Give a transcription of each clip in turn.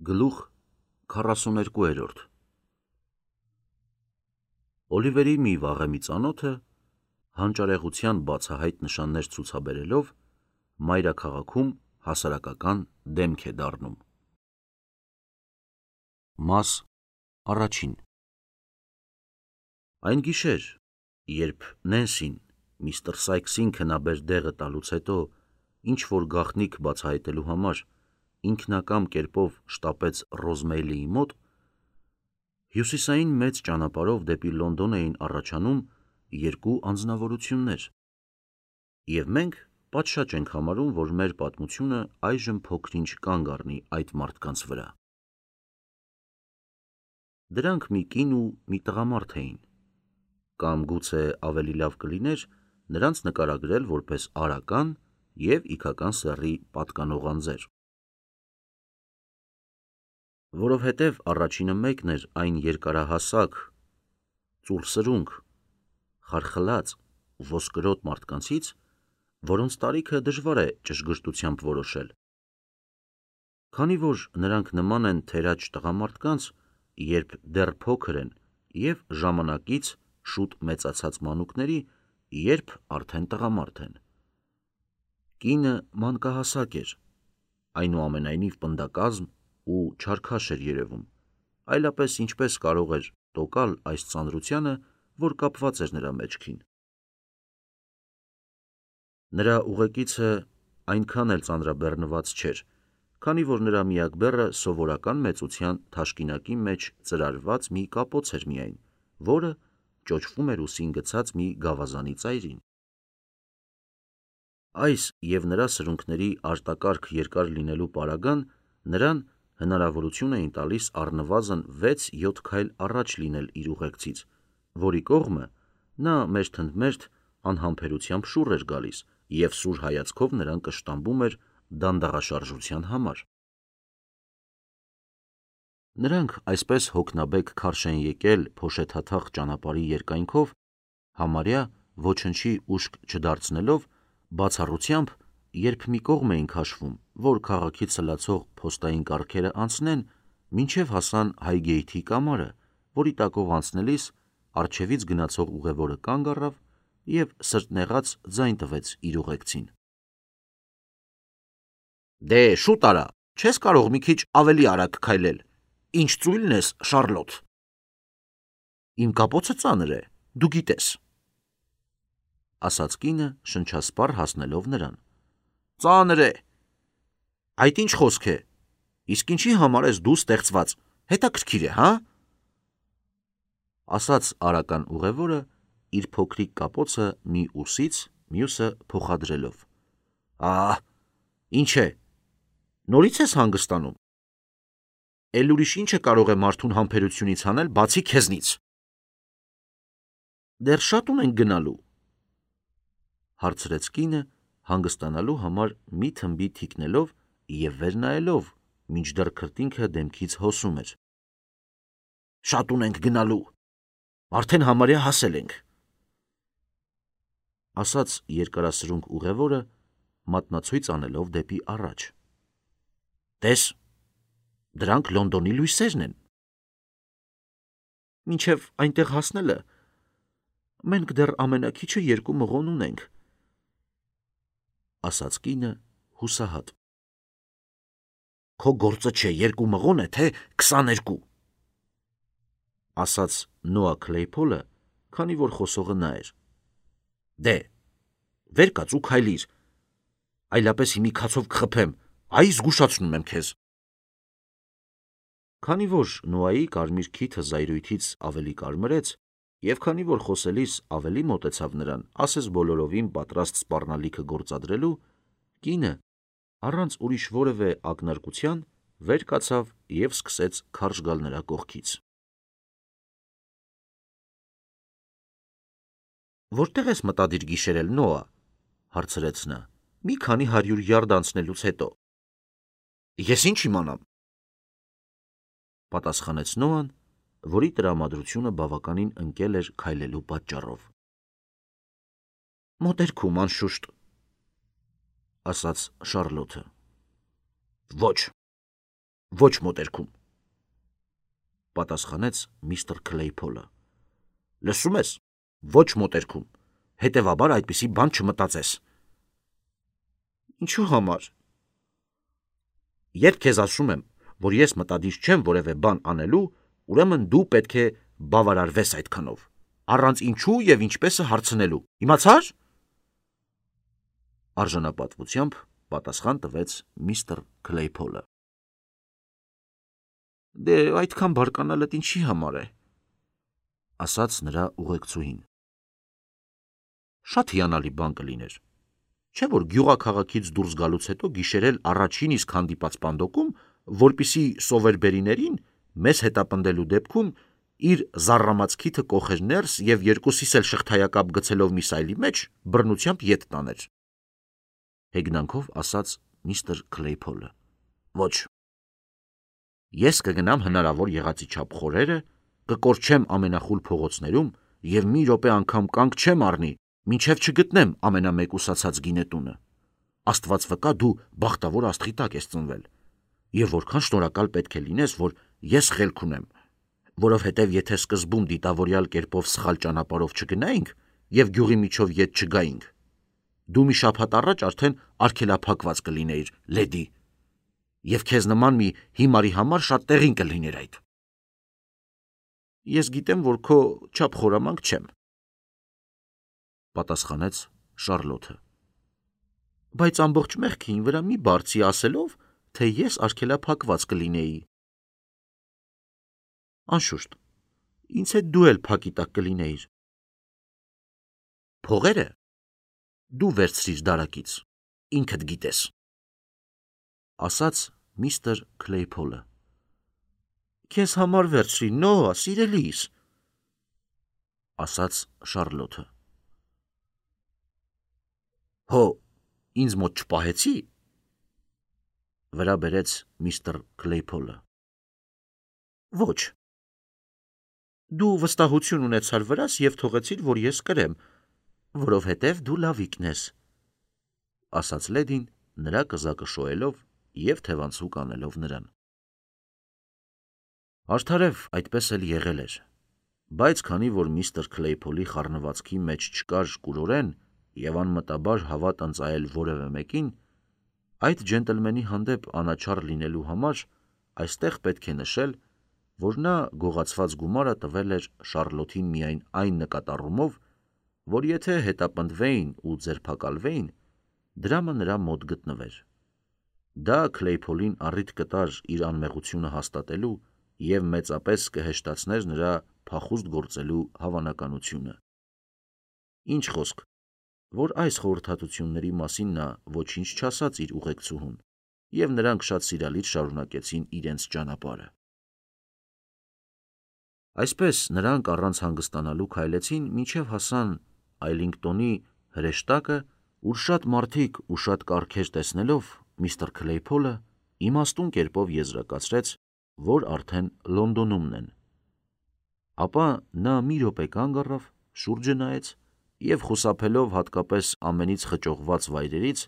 Գլուխ 42 Օլիվերի մի վաղեմի ծանոթը, հանճարեղության բացահայտ նշաններ ցուցաբերելով, մայրաքաղաքում հասարակական դեմք է դառնում։ Մաս առաջին Այն գիշեր, երբ Նենսին միստր Սայքսին քնաբեր դեղը տալուց հետո ինչ-որ գաղտնիք բացահայտելու համար ինքնակամ կերպով շտապեց Ռոզմեյլիի մոտ, հյուսիսային մեծ ճանապարհով դեպի Լոնդոն էին առաջանում երկու անձնավորություններ, և մենք պատշաճ ենք համարում, որ մեր պատմությունը այժմ փոքր-ինչ կանգ առնի այդ մարդկանց վրա։ Դրանք մի կին ու մի տղամարդ էին, կամ գուցե ավելի լավ կլիներ նրանց նկարագրել որպես արական և իգական սեռի պատկանող անձեր։ Որովհետև առաջինը մեկն էր այն երկարահասակ, ծուռ սրունք, խարխլած, ոսկրոտ մարդկանցից, որոնց տարիքը դժվար է ճշգրտությամբ որոշել։ Քանի որ նրանք նման են թերաճ տղամարդկանց, երբ դեռ փոքր են, և ժամանակից շուտ մեծացած մանուկների, երբ արդեն տղամարդ են։ Կինը մանկահասակ էր, այնուամենայնիվ պնդակազմ ու չարքաշ էր երևում, այլապես ինչպես կարող էր տոկալ այս ծանրությանը, որ կապված էր նրա մեջքին։ Նրա ուղեկիցը այնքան էլ ծանրաբեռնված չէր, քանի որ նրա միակ բեռը սովորական մեծության թաշկինակի մեջ ծրարված մի կապոց էր միայն, որը ճոճվում էր ուսին գցած մի գավազանի ծայրին։ Այս և նրա սրունքների արտակարգ երկար լինելու պարագան նրան հնարավորություն էին տալիս առնվազն 6-7 քայլ առաջ լինել իր ուղեկցից, որի կողմը նա մերթընդմերթ անհամբերությամբ շուռ էր գալիս և սուր հայացքով նրան կշտամբում էր դանդաղաշարժության համար։ Նրանք այսպես հոգնաբեկ քարշ են եկել փոշեթաթախ ճանապարհի երկայնքով, համարյա ոչնչի ուշք չդարձնելով, բացառությամբ, երբ մի կողմ էին քաշվում, որ քաղաքից սլացող փոստային կառքերը անցնեն, մինչև հասան Հայգեյթի կամարը, որի տակով անցնելիս առջևից գնացող ուղևորը կանգ առավ և սրտնեղած ձայն տվեց իր ուղեկցին. «Դե շուտ արա, չես կարող մի քիչ ավելի արագ քայլել, ինչ ծույլն ես, Շառլոտ»։ «Իմ կապոցը ծանր է, դու գիտես», ասաց կինը շնչասպառ հասնելով նրան։ «Ծանր է, այդ ինչ խոսք է, իսկ ինչի համար ես դու ստեղծված, հետաքրքիր է, հա»։ Ասաց արական ուղևորը իր փոքրիկ կապոցը մի ուսից մյուսը փոխադրելով։ Ահ, ինչ է, նորից ես հանգստանում։ Էլ ուրիշ ինչը կարող է մարդուն համբերությունից հանել, բացի քեզնից։ Դեռ շատ ունենք գնալու, հարցրեց կինը, հանգստանալու համար մի թմբի թիկնելով և վեր նայելով, մինչդեռ քրտինքը դեմքից հոսում էր։ Շատ ունենք գնալու, արդեն համարյա հասել ենք, ասաց երկարասրունք ուղևորը, մատնացույց անելով դեպի առաջ։ Տես, դրանք Լոնդոնի լույսերն են։ Մինչև այնտեղ հասնելը մենք դեռ ամենաքիչը 2 մղոն ունենք, ասաց կինը հուսահատ։ Քո գործը չէ 2 մղոն է, թե 22, ասաց Նոա Քլեյփոլը, քանի որ խոսողը նա էր։ Դե, վեր կաց ու քայլիր, այլապես հիմի քացով կխփեմ, այ զգուշացնում եմ քեզ։ Քանի որ Նոայի կարմիր քիթը զայրույթից ավելի կարմրեց, և քանի որ խոսելիս ավելի մոտեցավ նրան, ասես բոլորովին պատրաստ սպառնալիքը գործադրելու, կինը, առանց ուրիշ որևէ ակնարկության, վեր կացավ և սկսեց քարշ գալ նրա կողքից։ Որտե՞ղ ես մտադիր գիշերել, Նոա, հարցրեց նա, մի քանի 100 յարդ անցնելուց հետո։ Ես ինչ իմանամ, պատասխանեց Նոան, որի տրամադրությունը բավականին ընկել էր քայլելու պատճառով։ Մոտերքում, անշուշտ, ասաց Շառլոթը։ Ոչ, Ոչ մոտերքում, պատասխանեց միստր Քլեյփոլը։ Լսում ես, ոչ մոտերքում, հետևաբար այդպիսի բան չմտածես։ Ինչու համար։ Երբ քեզ ասում եմ, որ ես մտադիր չեմ որևէ բան անելու, ուրեմն դու պետք է բավարարվես այդքանով, առանց ինչու եւ ինչպեսը հարցնելու, իմացա՞ր։ Արժանապատվությամբ պատասխան տվեց միստր Քլեյփոլը։ Դե այդքան բարկանալդ ինչի համար է, ասաց նրա ուղեկցուհին։ Շատ հիանալի բան կլիներ, չէ՞ որ գյուղաքաղաքից դուրս գալուց հետո գիշերել առաջին իսկ հանդիպած պանդոկում, որպիսի սովերբերիներին մեզ հետապնդելու դեպքում իր զառամած քիթը կոխեր ներս եւ երկուսիս էլ շղթայակապ գցելով մի սայլի մեջ բռնությամբ ետ տաներ։ Հեգնանքով ասաց միստր Քլեյփոլը։ Ոչ։ Ես կգնամ հնարավոր եղածի չափ խորերը, կկորչեմ ամենախուլ փողոցներում եւ մի րոպե անգամ կանգ չեմ առնի, մինչեւ չգտնեմ ամենամեկուսացած գինետունը։ Աստված վկա, դու բախտավոր աստղի տակ ես ծնվել, եւ որքան շնորհակալ պետք է լինես, որ ես խելք ունեմ, որովհետեւ եթե սկզբում դիտավորյալ կերպով սխալ ճանապարհով չգնայինք եւ գյուղի միջով ետ չգայինք, դու մի շաբաթ առաջ արդեն արգելափակված կլինեիր, լեդի, եւ քեզ նման մի հիմարի համար շատ տեղին կլիներ այդ։ Ես գիտեմ, որ քո չափ խորամանկ չեմ, պատասխանեց Շարլոթը։ Բայց ամբողջ մեղքին վրա մի բարձի ասելով, թե ես արգելափակված կլինեի։ Անշուշտ, ինձ հետ դու էլ փակի տակ կլինեիր։ Փողերը դու վերցրիր դարակից, ինքդ գիտես, ասաց միստր Քլեյփոլը։ Քեզ համար վերցրի, Նոա, սիրելիս, ասաց Շարլոթը։ Հո, ինձ մոտ չպահեցի, վրա բերեց միստր Քլեյփոլը։ Ոչ։ Դու վստահություն ունեցար վրաս եւ թողեցիր, որ ես կրեմ, որովհետեւ դու լավիկն ես, ասաց լեդին նրա կզակը շոյելով եւ թևանցուկ անելով նրան։ Արդարև այդպես էլ եղել էր, բայց քանի որ միստր Քլեյփոլի խառնվածքի մեջ չկար կուրորեն եւ անմտաբար հավատ ընծայել որևէ մեկին, այդ ջենտլմենի հանդեպ անաչառ լինելու համար այստեղ պետք է նշել, որ նա գողացված գումարը տվել էր Շարլոթին միայն այն նկատառումով, որ եթե հետապնդվեին ու ձերբակալվեին, դրամը նրա մոտ գտնվեր։ Դա Քլեյփոլին առիթ կտար իր անմեղությունը հաստատելու եւ մեծապես կհեշտացներ նրա փախուստ գործելու հավանականությունը։ Ինչ խոսք, որ այս խորհրդատությունների մասին նա ոչինչ չասաց իր ուղեկցուհուն, եւ նրանք շատ սիրալիր շարունակեցին իրենց ճանապարհը։ Այսպես նրանք առանց հանգստանալու քայլեցին, մինչև հասան Այլինգտոնի հրեշտակը, ուր շատ մարդիկ ու շատ կառքեր տեսնելով միստր Քլեյփոլը իմաստուն կերպով եզրակացրեց, որ արդեն Լոնդոնումն են։ Ապա նա մի րոպե կանգ առավ, շուրջը նայեց եւ խուսափելով հատկապես ամենից խճողված վայրերից,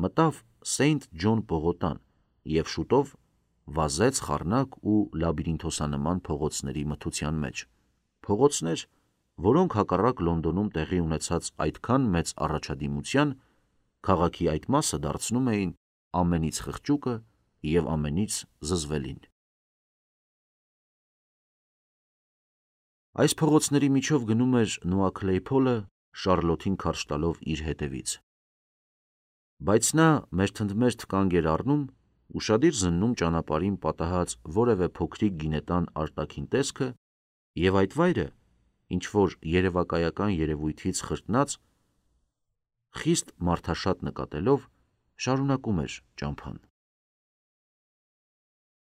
մտավ Սեյնթ Ջոն պողոտան եւ շուտով վազեց խառնակ ու լաբիրինթոսանման փողոցների մթության մեջ, փողոցներ, որոնք հակառակ Լոնդոնում տեղի ունեցած այդքան մեծ առաջադիմության, քաղաքի այդ մասը դարձնում էին ամենից խղճուկը եւ ամենից զզվելին։ Այս փողոցների միջով գնում էր Նոա Քլեյփոլը, Շարլոթին քարշ տալով իր հետևից։ Բայց նա մերթընդմերթ կանգ էր առնում, ուշադիր զննում ճանապարհին պատահած որևէ փոքրիկ գինետան արտաքին տեսքը, եւ այդ վայրը, ինչ որ երևակայական երևույթից խրտնած, խիստ մարդաշատ նկատելով, շարունակում էր ճամփան։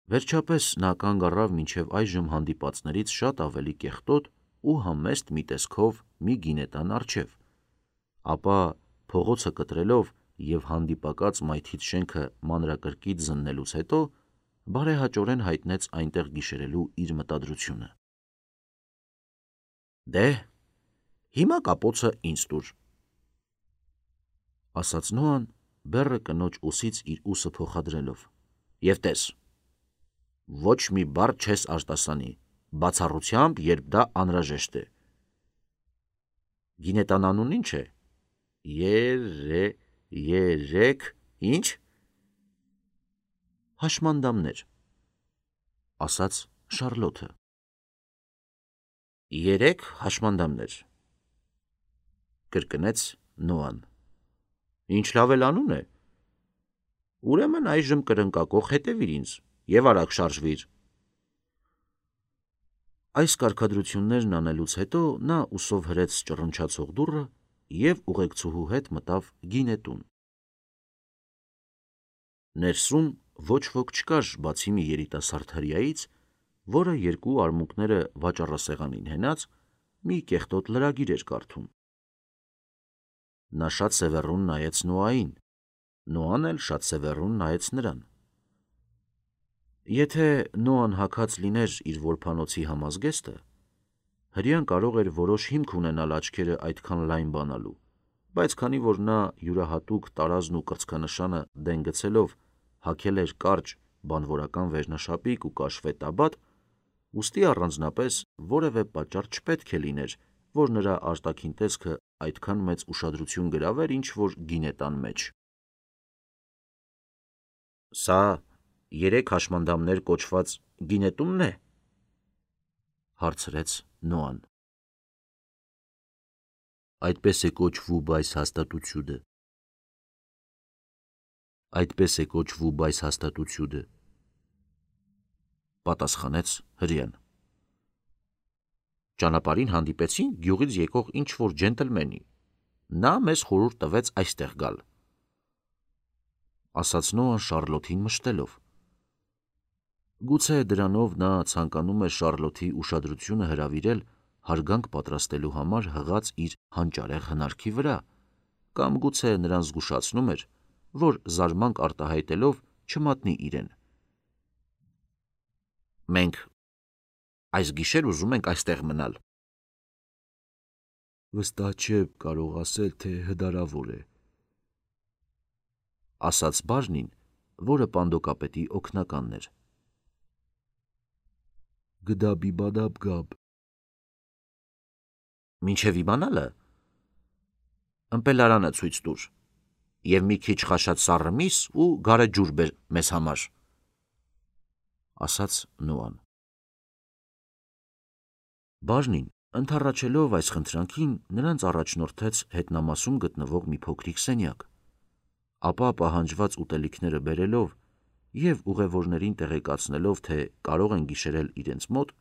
Վերջապես նա կանգ առավ մինչև այժմ հանդիպածներից շատ ավելի կեղտոտ ու համեստ մի տեսքով մի գինետան առջև, ապա փողոցը կտրելով եւ հանդիպակաց մայթից շենքը մանրակրկիտ զննելուց հետո բարեհաճորեն հայտնեց այնտեղ գիշերելու իր մտադրությունը։ Դե, հիմա կապոցը ինձ տուր, ասաց Նոան, բեռը կնոջ ուսից իր ուսը փոխադրելով, եւ տես, Ոչ մի բառ չես արտասանի, բացառությամբ, երբ դա անհրաժեշտ է։ Գինետան անուն ինչ է։ Երեք, ինչ։ Հաշմանդամներ, ասաց Շարլոթը։ 3 հաշմանդամներ, կրկնեց Նոան։ Ինչ լավ էլ անուն է։ Ուրեմն այժմ կրնկակող հետևիր ինձ և արագ շարժվիր։ Այս կարգադրություններն անելուց հետո նա ուսով հրեց ճռնչացող դուռը և ուղեկցուհու հետ մտավ գինետուն։ Ներսում ոչ ոք չկար, բացի մի երիտասարդ հրեայից, որը երկու արմունկները վաճառասեղանին հենած մի կեղտոտ լրագիր էր կարդում։ Նա շատ սևեռուն նայեց Նոային, Նոան էլ շատ սևեռուն նայեց նրան։ Եթե Նոան հագած լիներ իր որբանոցի համազգեստը, հրեան կարող էր որոշ հիմք ունենալ աչքերը այդքան լայն բանալու, բայց քանի որ նա յուրահատուկ տարազն ու կրծքանշանը դեն գցելով հագել էր կարճ բանվորական վերնաշապիկ ու կաշվե տաբատ, ուստի առանձնապես որևէ պատճառ չպետք է լիներ, որ նրա արտաքին տեսքը այդքան մեծ ուշադրություն գրավեր ինչ-որ գինետան մեջ։ Սա 3 հաշմանդամներ կոչված գինետունն է, հարցրեց Նոան։ Այդպես է կոչվում այս հաստատությունը։ Այդպես է կոչվում այս հաստատությունը, պատասխանեց հրեան։ Ճանապարհին հանդիպեցին գյուղից եկող ինչ-որ ջենտլմենի։ Նա մեզ խորհուրդ տվեց այստեղ գալ, ասաց Նոան Շարլոթին մշտելով։ Գուցե դրանով նա ցանկանում էր Շարլոթի ուշադրությունը հրավիրել հարգանք պատրաստելու համար հղած իր հանճարեղ հնարքի վրա, կամ գուցե նրան զգուշացնում էր, որ զարմանք արտահայտելով չմատնի իրեն։ Մենք այս գիշեր ուզում ենք այստեղ մնալ։ Վստահ չեմ կարող ասել, թե հնարավոր է, ասաց բաժնին, որը պանդոկապետի օգնականն էր։ Գդաբիբադաբ գաբ։ Մինչև իմանալը ըմպելարանը ցույց տուր և մի քիչ խաշած սառը միս ու գարեջուր բեր մեզ համար, ասաց Նոան։ Բաժնին, ընդառաջելով այս խնդրանքին, նրանց առաջնորդեց հետնամասում գտնվող մի փոքրիկ սենյակ, ապա պահանջված ուտելիքները բերելով և ուղևորներին տեղեկացնելով, թե կարող են գիշերել իրենց մոտ,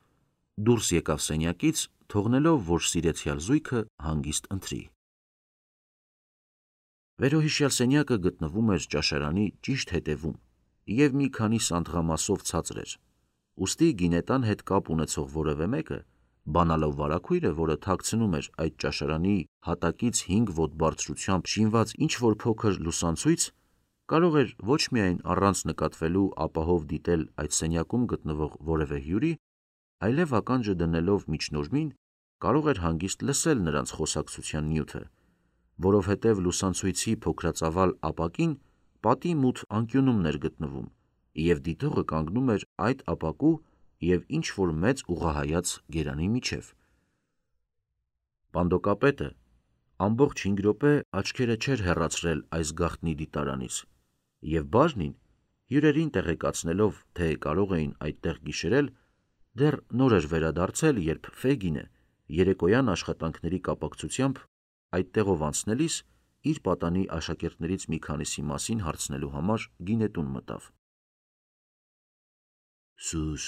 դուրս եկավ սենյակից, թողնելով, որ սիրեցյալ զույգը հանգիստ ընթրի։ Վերոհիշյալ սենյակը գտնվում էր ճաշարանի ճիշտ հետևում և մի քանի սանդղամասով ցածր էր, ուստի գինետան հետ կապ ունեցող որևէ մեկը, բանալով վարագույրը, որը թաքցնում էր այդ ճաշարանի հատակից 5 ոտ բարձրությամբ շինված ինչ-որ փոքր լուսանցույց, կարող էր ոչ միայն առանց նկատվելու ապահով դիտել այդ սենյակում գտնվող որևէ հյուրի, այլև ականջը դնելով միջնորմին, կարող էր հանգիստ լսել նրանց խոսակցության նյութը, որովհետև լուսանցույցի փոքրածավալ ապակին պատի մութ անկյունումն էր գտնվում, և դիտողը կանգնում էր այդ ապակու և ինչ-որ մեծ ուղղահայաց գերանի միջև։ Պանդոկապետը ամբողջ 5 րոպե աչքերը չէր հեռացրել այս գաղտնի դիտարանից, և բաժնին, հյուրերին տեղեկացնելով, թե կարող էին այդտեղ գիշերել, դեռ նոր էր վերադարձել, երբ Ֆեգինը երեկոյան աշխատանքների կապակցությամբ այդտեղով անցնելիս իր պատանի աշակերտներից մի քանիսի մասին հարցնելու համար գինետուն մտավ։ Սուս,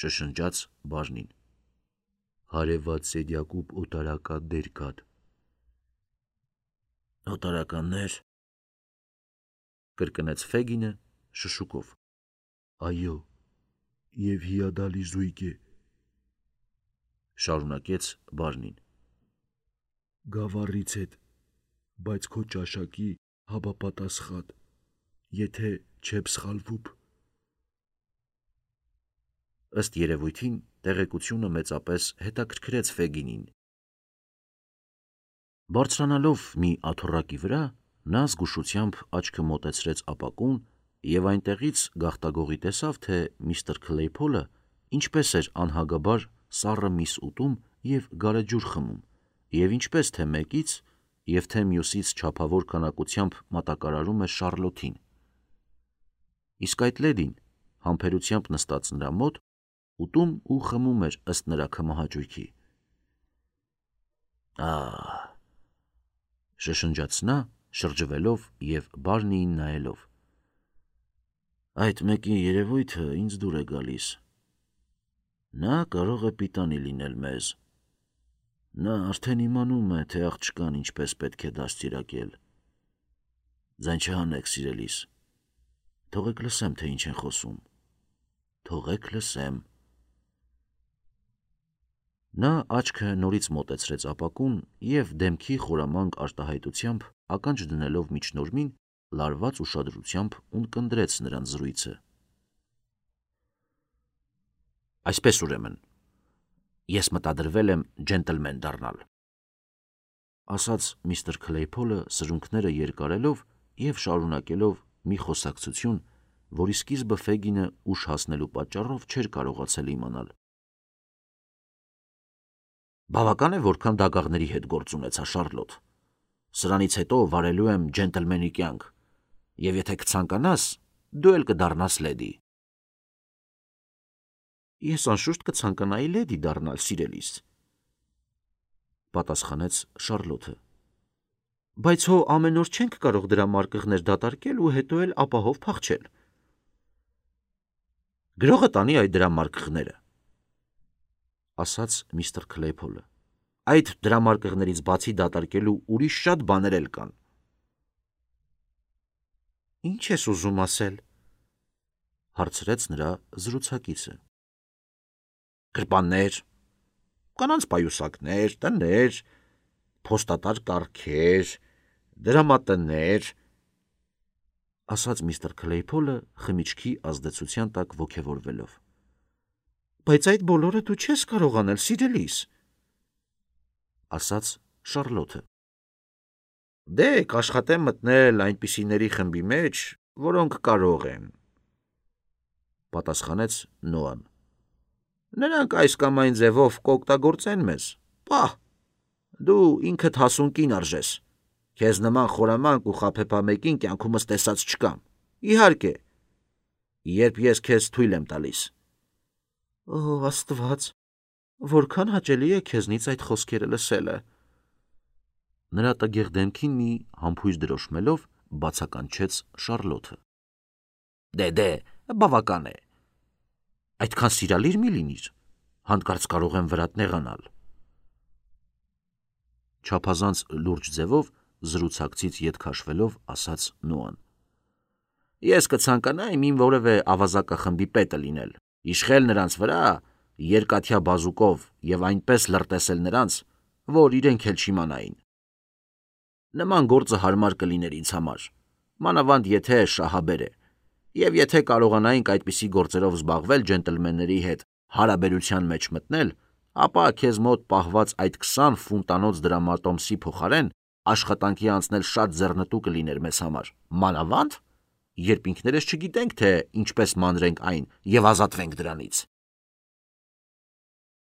շշնջաց բաժնին, հարևած սենյակում օտարականներ կան։ Օտարականներ, կրկնեց Ֆեգինը շշուկով։ Այո, և հիանալի զույգ է, շարունակեց բաժնին։ Գավառից հետ, բայց քո ճաշակի համապատասխան, եթե չեմ սխալվում։ Ըստ երևույթին տեղեկությունը մեծապես հետաքրքրեց Ֆեգինին։ Բարձրանալով մի աթոռակի վրա, նա զգուշությամբ աչքը մոտեցրեց ապակուն և այնտեղից գաղտագողի տեսավ, թե միստր Քլեյփոլը ինչպես էր անհագաբար սառը միս ուտում և գարեջուր խմում, և ինչպես թե մեկից և թե մյուսից չափավոր քանակությամբ մատակարարում էր Շառլոթին։ Իսկ այդ լեդին համբերությամբ նստած նրա մոտ ուտում ու խմում էր ըստ նրա քմահաճույքի։ «Ահ», շշնջաց նա, շրջվելով և Բարնիին նայելով, «այդ մեկի երևույթը ինձ դուր է գալիս։ Նա կարող է պիտանի լինել մեզ։ Նա արդեն իմանում է, թե աղջկան ինչպես պետք է դաստիարակել։ Ձայն չհանեք, սիրելիս, թողեք լսեմ, թե ինչ են խոսում, թողեք լսեմ»։ Նա աչքը նորից մոտեցրեց ապակուն և դեմքի խորամանկ արտահայտությամբ ականջ դնելով միջնորմին լարված ուշադրությամբ ունկնդրեց նրանց զրույցը։ «Այսպես ուրեմն, ես մտադրվել եմ ջենտլմեն դառնալ», ասաց միստր Քլեյփոլը սրունքները երկարելով և շարունակելով մի խոսակցություն, որի սկիզբը Ֆեգինը ուշ հասնելու պատճառով չէր կարողացել իմանալ։ «Բավական է, որքան դագաղների հետ գործ ունեցա, Շառլոտ։ Սրանից հետո վարելու եմ ջենտլմենի կյանք, և եթե կցանկանաս, դու էլ կդառնաս լեդի»։ «Ես անշուշտ կցանկանայի լեդի դառնալ, սիրելիս», պատասխանեց Շառլոթը։ «Բայց հո ամեն օր չենք կարող դրա մարկղներ դատարկել ու հետո էլ ապահով փախչել»։ «Գրողը տանի այդ դրամարկղները», ասաց միստր Քլեյփոլը։ «Այդ դրամարկղներից բացի դատարկելու ուրիշ շատ բաներ էլ կան»։ «Ինչ ես ուզում ասել», հարցրեց նրա զրուցակիցը։ «Գրպաններ, կանանց պայուսակներ, տներ, փոստատար կառքեր, դրամատներ», ասաց միստր Քլեյփոլը խմիչքի ազդեցության տակ ոգևորվելով։ «Բայց այդ բոլորը դու չես կարող անել, սիրելիս», ասաց Շառլոթը։ «Դե կաշխատեմ մտնել այնպիսիների խմբի մեջ, որոնք կարող են», պատասխանեց Նոան։ «Նրանք այս կամ այն ձևով կօգտագործեն մեզ։ Պահ, դու ինքդ հասուն կին արժես, քեզ նման խորամանկ ու խաբեբա մեկին կյանքումս տեսած չկամ։ Իհարկե, երբ ես քեզ թույլ եմ տալիս»։ «Օ, Աստված, որքան հաճելի է քեզնից այդ խոսքերը լսելը», նրա տգեղ դեմքին մի համբույր դրոշմելով բացականչեց Շառլոթը։ «Դե, բավական է։ Այդքան սիրալիր մի լինիր, հանկարծ կարող եմ վրատ նեղանալ»։ Չափազանց լուրջ ձևով զրուցակցից ետ քաշվելով ասաց Նոան։ «Ես կցանկանայի իմ որևէ ավազակախմբի պետը լինել, իշխել նրանց վրա երկաթյա բազուկով և այնպես լրտեսել նրանց, որ իրենք էլ չիմանային։ Նման գործը հարմար կլիներ ինձ համար, մանավանդ եթե շահաբեր է, և եթե կարողանայինք այդպիսի գործերով զբաղվել ջենտլմենների հետ հարաբերության մեջ մտնել, ապա քեզ մոտ պահված այդ 20 ֆունտանոց դրամատոմսի փոխարեն աշխատանքի անցնել շատ ձեռնտու կլիներ մեզ համար, մանավանդ, երբ ինքներս չգիտենք, թե ինչպես մանրենք այն և ազատվենք դրանից»։